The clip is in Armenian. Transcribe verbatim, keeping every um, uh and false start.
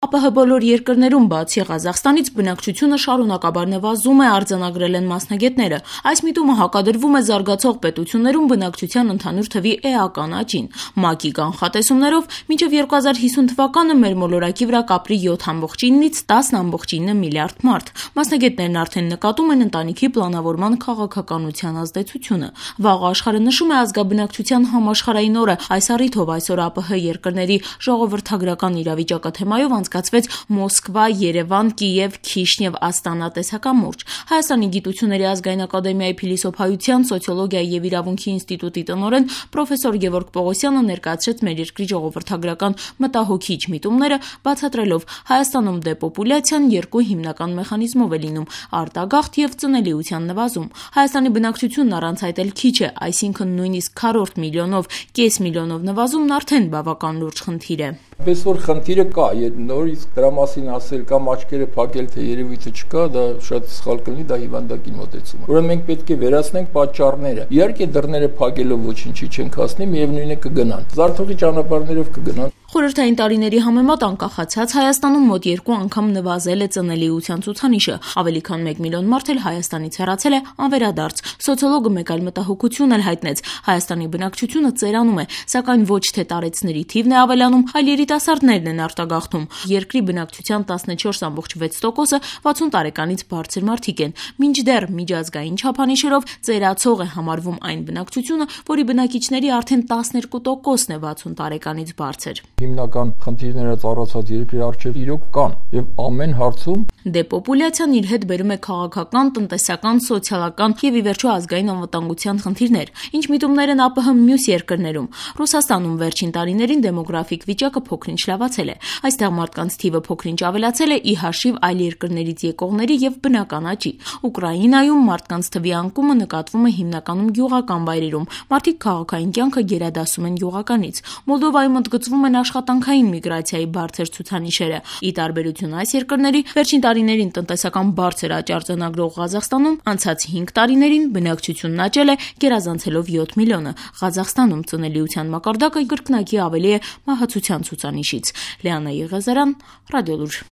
ԱՊՀ բոլոր երկրներում, բացի Ղազախստանից, բնակչությունը շարունակաբար նվազում է, արձանագրել են մասնագետները։ Այս միտումը հակադրվում է զարգացող պետություններում բնակչության ընդհանուր թվի էական աճին։ ՄԱԿ-ի կանխատեսումներով մինչև երկու հազար հիսուն թվականը մեր մոլորակի վրա կապրի յոթ կόμμα իննից տասը կόμма ինը միլիարդ մարդ։ Մասնագետներն արդեն նկատում են ընտանիքի պլանավորման քաղաքականության ազդեցությունը։ Վաղ աշխարհը նշում է ազգաբնակչության համաշխարհային օրը։ Այս առիթով այսօր ԱՊՀ երկրների ժողովրդագրական իրավիճակը թեմայով անցկացվեց Մոսկվա, Երևան, Կիև, Քիշնև, Աստանա տեսակամուրջ։ Հայաստանի գիտությունների ազգային ակադեմիայի փիլիսոփայության, սոցիոլոգիայի եւ իրավունքի ինստիտուտի տնօրեն պրոֆեսոր Գևորգ Պողոսյանը ներկայացրեց մեր երկրի ժողովրդագրական մտահոգիչ միտումները, բացատրելով Հայաստանում դեպոպուլյացիան երկու հիմնական մեխանիզմով է լինում՝ արտագաղթ եւ ծնելիության նվազում։ Հայաստանի բնակչությունն առանց այդ էլ քիչ է, այսինքն նույնիսկ քառորդ միլիոնով, կես միլիոնով նվազումն արդեն բավական լուրջ խնդիր է։ Պես որ խնդիրը կա, նորից դրա մասին ասել կամ աչքերը փակել, թե երևույթը չկա, դա շատ սխալ կլինի, դա հիվանդակին մոտեցում է։ Ուրեմն մենք պետք է վերացնենք պատճառները։ Իհարկե դռները փակելով ոչինչի չենք հասնի, միևնույն է կգնան։ Զարթողի ճանապարհներով կգնան։ Խորհրդային տարիների համեմատ անկախացած Հայաստանում մոտ երկու անգամ նվազել է ծնելիության ցուցանիշը, ավելի քան մեկ միլիոն մարդ էլ Հայաստանից հեռացել է անվերադարձ։ Սոցիոլոգը մեկ այլ մտահոգություն էլ հայտնեց՝ Հայաստանի բնակչությունը ծերանում է, սակայն ոչ թե տարեցների թիվն է ավելանում, այլ երիտասարդներն են արտագաղթում։ Երկրի բնակչության տասնչորս կόμμα վեց տոկոսը վաթսուն տարեկանից բարձր մարդիկ են, մինչդեռ միջազգային չափանիշերով ծերացող է համարվում այն բնակչությունը, որի բնակիչների արդեն տասներկու տոկոսն է վաթսուն տարեկանից բարձր։ Հիմնական խնդիրները ծառացած երկրի առջև իրոք կան եւ ամեն հարցում դեպոպուլյացիան իր հետ բերում է քաղաքական, տնտեսական, սոցիալական եւ ի վերջո ազգային անվտանգության խնդիրներ, ինչ միտումներ են ԱՊՀ մյուս երկրներում։ Ռուսաստանում վերջին տարիներին դեմոգրաֆիկ վիճակը փոքրինչ լավացել է։ Այստեղ մարդկանց թիվը փոքրինչ ավելացել է ի հաշիվ այլ երկրներից եկողների եւ բնական աճի։ Ուկրաինայում մարդկանց թվի անկումը նկատվում է հիմնականում գյուղական վայրերում։ Մարդիկ քաղաքային կյանքը գերադասում են գյուղականից։ Մոլդովայում ընդգծվում են աշխատանքային միգրացիայի բարձր ցուցանիշերը։ Ի տարբերություն այս երկրների, վերջին տարիներին տնտեսական բարձր աճ արձանագրող Ղազախստանում անցած հինգ տարիներին բնակչությունն աճել է գերազանցելով յոթ միլիոնը։ Ղազախստանում ծնելիության մակարդակը կրկնակի ավելի է մահացության ցուցանիշից։ Լիանա Եղիազարյան, Ռադիոլուր։